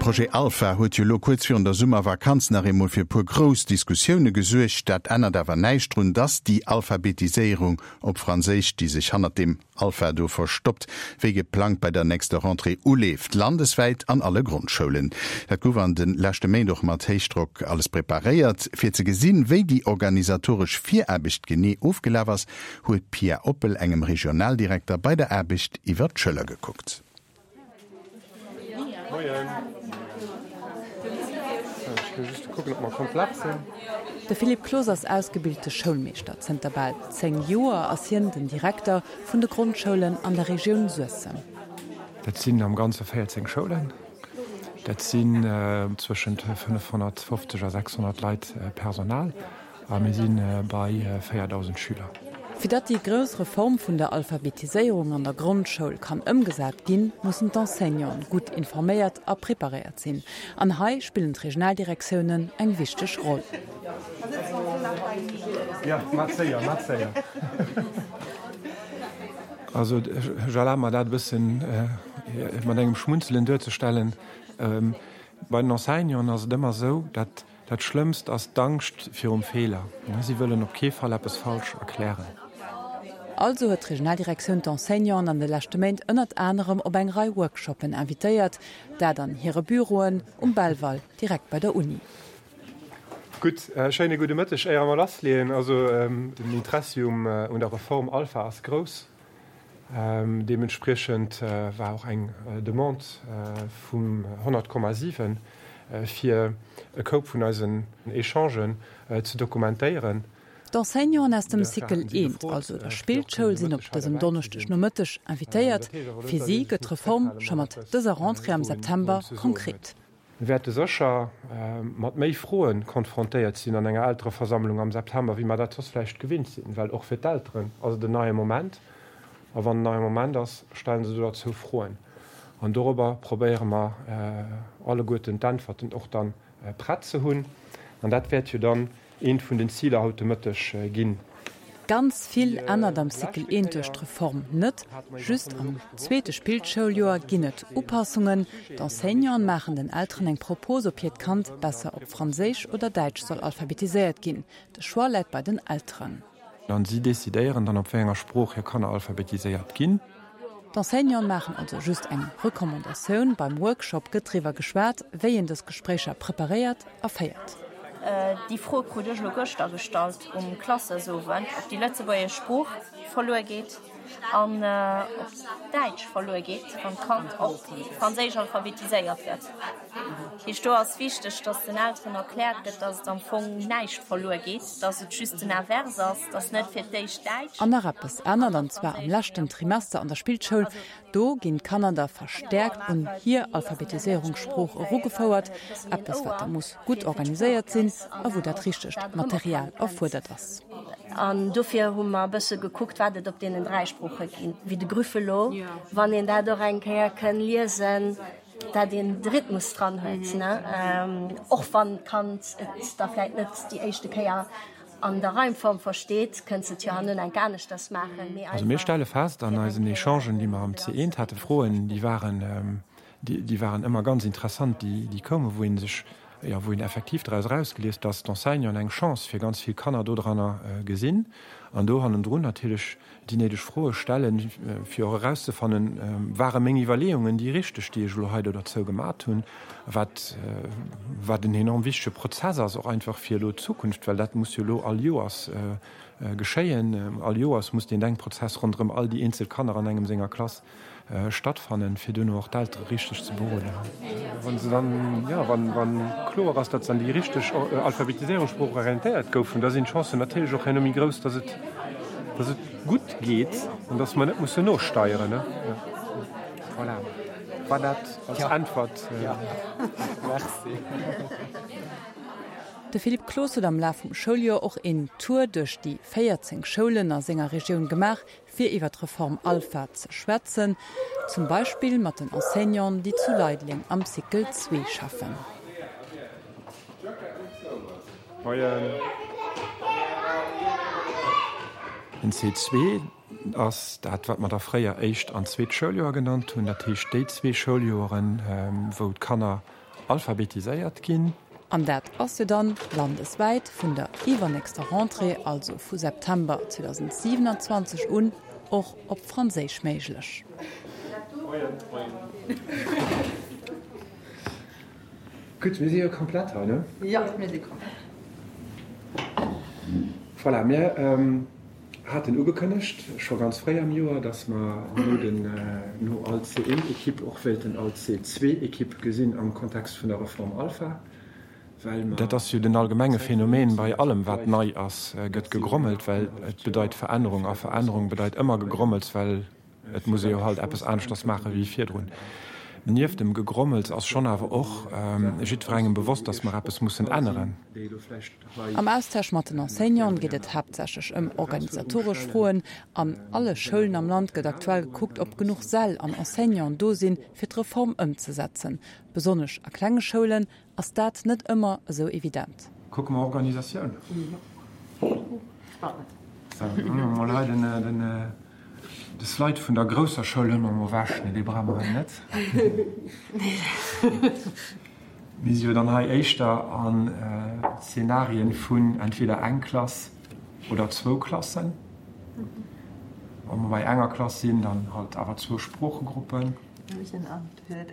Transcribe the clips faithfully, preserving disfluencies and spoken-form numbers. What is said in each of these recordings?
Projet Alpha huet jo lo kuerz virun der Summervakanz nach eemol fir e puer grouss Diskussioune gesuergt. Dat ännert awer näischt drun, dass déi Alphabetiséierung op Franséisch, déi sech hannert deem Alpha do verstoppt, wéi geplangt bei der nächster Rentrée uleeft, landeswäit an alle Grondschoulen. Dat gouf an de leschte Méint och mat Héichdrock alles preparéiert. Fir ze gesinn, wéi déi organisatoresch Viraarbecht genee ofgelaf ass, huet d'Pia Oppel engem Regionaldirekter bei der Aarbecht iwwer d'Schëller gekuckt. De Philippe Cloos ass ausgebilte Schoulmeeschter. Zënter bal zéng Joer ass hien den Direkter vun de Grondschoulen an der Regioun Suessem. Dat sinn am Ganze véierzéng Schoulen. Dat sinn zwëschent fënnefhonnertfofzeg a sechshonnert Leit Personal a mir si bei véierdausend Schüler. Fir datt déi grouss Reform vun der Alphabetiséierung an der Grondschoul kann ëmgesat ginn, mussen d'Enseignanten gutt informéiert a preparéiert sinn. An hei spillen d'Regionaldirektiounen eng wichteg Roll. Also ech erlabe mer dat e bëssen mat engem Schmunzelen duerzestellen. Bei den Enseignanten ass et ëmmer esou, datt Dat Schlëmmst ass d'Angscht virum Feeler. Si wëllen op kee Fall eppes falsch erklären. Also huet d'Regionaldirektioun d'Enseignanten an de leschte Méint ënnert anerem op eng Rei Workshoppen invitéiert, dat an hire Büroen um Belval, direkt bei der Uni. Gutt, schéine gudde Mëtteg. Éier mer lassleeën, also den Interessi um un der Reform Alpha ass grouss. Deementspriechend war och eng Demande vum honnert Komma siwen fir e Koup vun eisen Echangen ze dokumentéieren. D'Enseignanten aus dem Cycle I, also der Spillschoul, sinn op dësem Donneschdegnomëtteg invitéiert. Fir si gëtt d'Reform scho mat dëser Rentrée am September konkret. Mir wäerte sécher mat méi Froe konfrontéiert sinn an enger Eltereversammlung am September, wéi mer dat soss vläicht gewinnt sinn, well och fir d'Elteren ass et en neie Moment. A wann en neie Moment ass, stelle se do derzou Froen. An dorobber probéiere mer alleguerten d'Äntwerten och dann prett ze hunn. An dat wäert jo dann eent vun den Ziler haut de Mëtteg ginn. Ganz vill ännert am Cycle I duerch d'Reform net. Just am zweete Spillschouljoer ginn et Upassungen. D'Enseignanten maachen den Elteren eng Propos, ob hiert Kand besser op Franséisch oder Däitsch soll alphabetiséiert ginn. De Choix läit bei den Elteren. An si decidéieren dann, op wéi enger Sprooch hir Kanner alphabetiséiert ginn. D'Enseignanten maachen also just eng Recommandatioun. Beim Workshop gëtt driwwer geschwat, wéi een dës Gespréicher preparéiert a féiert. Déi Fro krut ech elo gëschter gestallt um Klassesowend, ob déi lëtzebuergesch Sprooch verluer geet an ob d'Däitsch verluer geet, wann d'Kand op Franséisch alphabetiséiert gëtt. Heescht, do ass wichteg, dass den Elteren erkläert gëtt, dass et am Fong näischt verluer geet, dass et just den Inverse ass, dass net fir d'éischt Däitsch. An nach eppes ännert, an zwar am leschten Trimester an der Spillschoul. Do ginn d'Kanner da verstäerkt un hir Alphabetiséierungssprooch erugefouert, eppes wat da muss gutt organiséiert sinn a wou dat richtegt Material erfuerdert ass. An dofir hu mer e bësse gekuckt, wat et op deenen dräi Sprooche ginn, wéi de Grüffelo, wann een dat och eng Kéier kënn liesen. Dat een de Rhythmus dran huet, ne, och wann d'Kand et da vläit net déi éischte Kéier an der Reimform versteet, kënnt se et jo herno enk aneschters maachen, mee Also mir stelle fest an eisen Echangen, déi mer am C eent haten, Froen, déi waren, déi waren ëmmer ganz interessant, déi, déi koumen, wou ee sech, jo, wou een effektiv draus erausgelies, dass d'Enseignanten eng Chance fir ganz vill Kanner dodranner gesinn an do hannendrun natierlech déi néideg Froe stellen, fir och erauszefannen, Ware meng Iwwerleeungen déi richteg, déi ech elo hei do derzou gemat hunn? Wat, wat en enorm wichtege Prozess ass, och einfach fir elo d'Zukunft, well dat muss jo elo all Joers geschéien. All Joers muss deen Denkprozess ronderëm all déi eenzel Kanner an engem senger Klass stattfannen, fir duerno och d'Eltere richteg ze beroden. Wa se dann, jo, wa kloer ass, datt se an déi richteg Alphabetiséierungssprooch orientéiert goufen, da sinn d'Chancen natierlech och herno méi grouss, datt et, datt et gutt geet an datt mer net mussen nosteieren. Voilà, war dat als Äntwert. Merci. De Philippe Cloos huet am Laf vum Schouljoer och een Tour duerch déi véierzéng Schoulen a senger Regioun gemaach, fir iwwer d'Reform Alpha ze schwätzen, zum Beispill mat den Enseignanten, déi zu Leideleng am Cycle zwee schaffen. Den C zwee ass dat, wat mer da fréier éischt an zweet Schouljoer genannt hunn, dat heescht déi zwee Schouljoeren, wou d'Kanner alphabetiséiert ginn. An dat ass jo dann landeswäit vun der iwwernächster Rentrée, also vu September zweedausendsiewenundzwanzeg un, och op Franséisch méiglech. Gutt, mir si jo komplett hei, ne? Jo, mir si komplett. Voilà, mir haten ugekënnegt, scho ganz fréi am Joer, dass mer no den, no all C een Equipe och wéilten all C zwee Equipe gesinn am Kontext vun der Reform Alpha, well mer. Dat ass jo den allgemenge Phänomen bei allem, wat nei ass, gëtt gegrommelt, well et bedeit Verännerung a Verännerung bedeit ëmmer Gegrommels, well et muss ee jo halt eppes aneschters maache wéi virdrun. Nieft dem Gegrommels ass schonn awer och jiddwerengem bewosst, dass mer eppes mussen änneren. Am Austausch mat den Enseignanten geet et haaptsächlech ëm organisatoresch Froen. An alle Schoulen am Land gëtt aktuell gekuckt, ob genuch Säll an Enseignanten do sinn, fir d'Reform ëmzesetzen. Besonnesch a klenge Schoulen ass dat net ëmmer esou evident. Kucke mer Organisatioun. Sou, huele mer mol hei den. De Slide vun der grousser Schoul huele mer mol ewech, nee, dee brauche mer hei net. Mir si jo dann hei éischter an Szenarien vun entweder eng Klass oder zwou Klassen. Wa mer bei enger Klass sinn, dann halt awer zwou Sproochegruppen.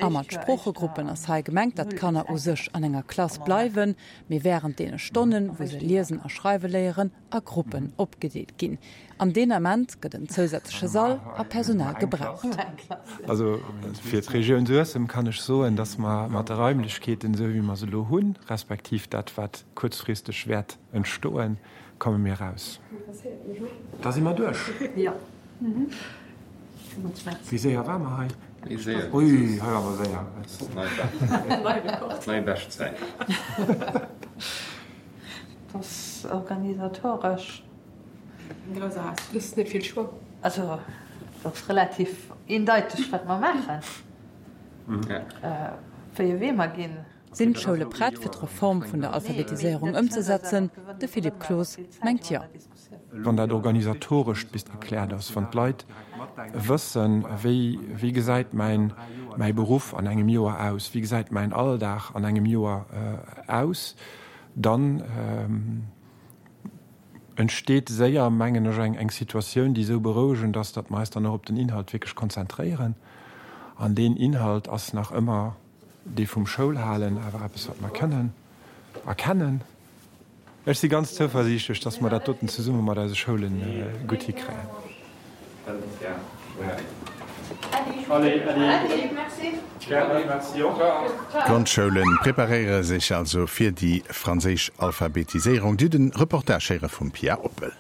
A mat Sproochegruppen ass hei gemengt, datt d'Kanner u sech an enger Klass bleiwen, mee wärend deene Stonnen, wou se liesen a schreiwe léieren, a Gruppen opgedeelt ginn. An deen Ament gëtt en zousätzleche Sall a Personal gebraucht. Also fir d'Regioun Suessem kann ech soen, datt mer mat de Raimlechkeeten, esou wéi mer se elo hunn, respektiv dat wat kuerzfristeg wäert entstoen, komme mir eraus. Da si mer duerch. Wéi séier ware mer hei? Ui, hei ware mer séier. Nei Beschtzäit. Dat ass organisatoresch. Dat ass net vill Choix. Also, dat ass relativ eendeiteg, wat mer maachen, wéi e Wee mer ginn. Sinn d'Schoule prett, fir d'Reform vun der Alphabetiséierung ëmzesetzen? De Philippe Cloos mengt jo. Wann dat Organisatorescht bis gekläert ass, wann d'Leit wëssen, wéi, wéi gesäit mäin, mäi Beruff an engem Joer aus, wéi gesäit mäin Alldag an engem Joer aus, dann entsteet séier, mengen ech, eng, eng Situatioun, déi esou berouegend ass, datt mer eis dann och op den Inhalt wierklech konzentréieren. An deen Inhalt ass nach ëmmer dee vum Schoulhalen, awer eppes, wat mer kënnen a kennen. Ech si ganz zouversiichtlech, dass mer dat doten zesumme mat eise Schoule gutt hikréien. D'Grondschoule preparéiere sech also fir déi franséisch Alphabetiséierung. Dir hutt de Reportage héiere vum Pia Oppel.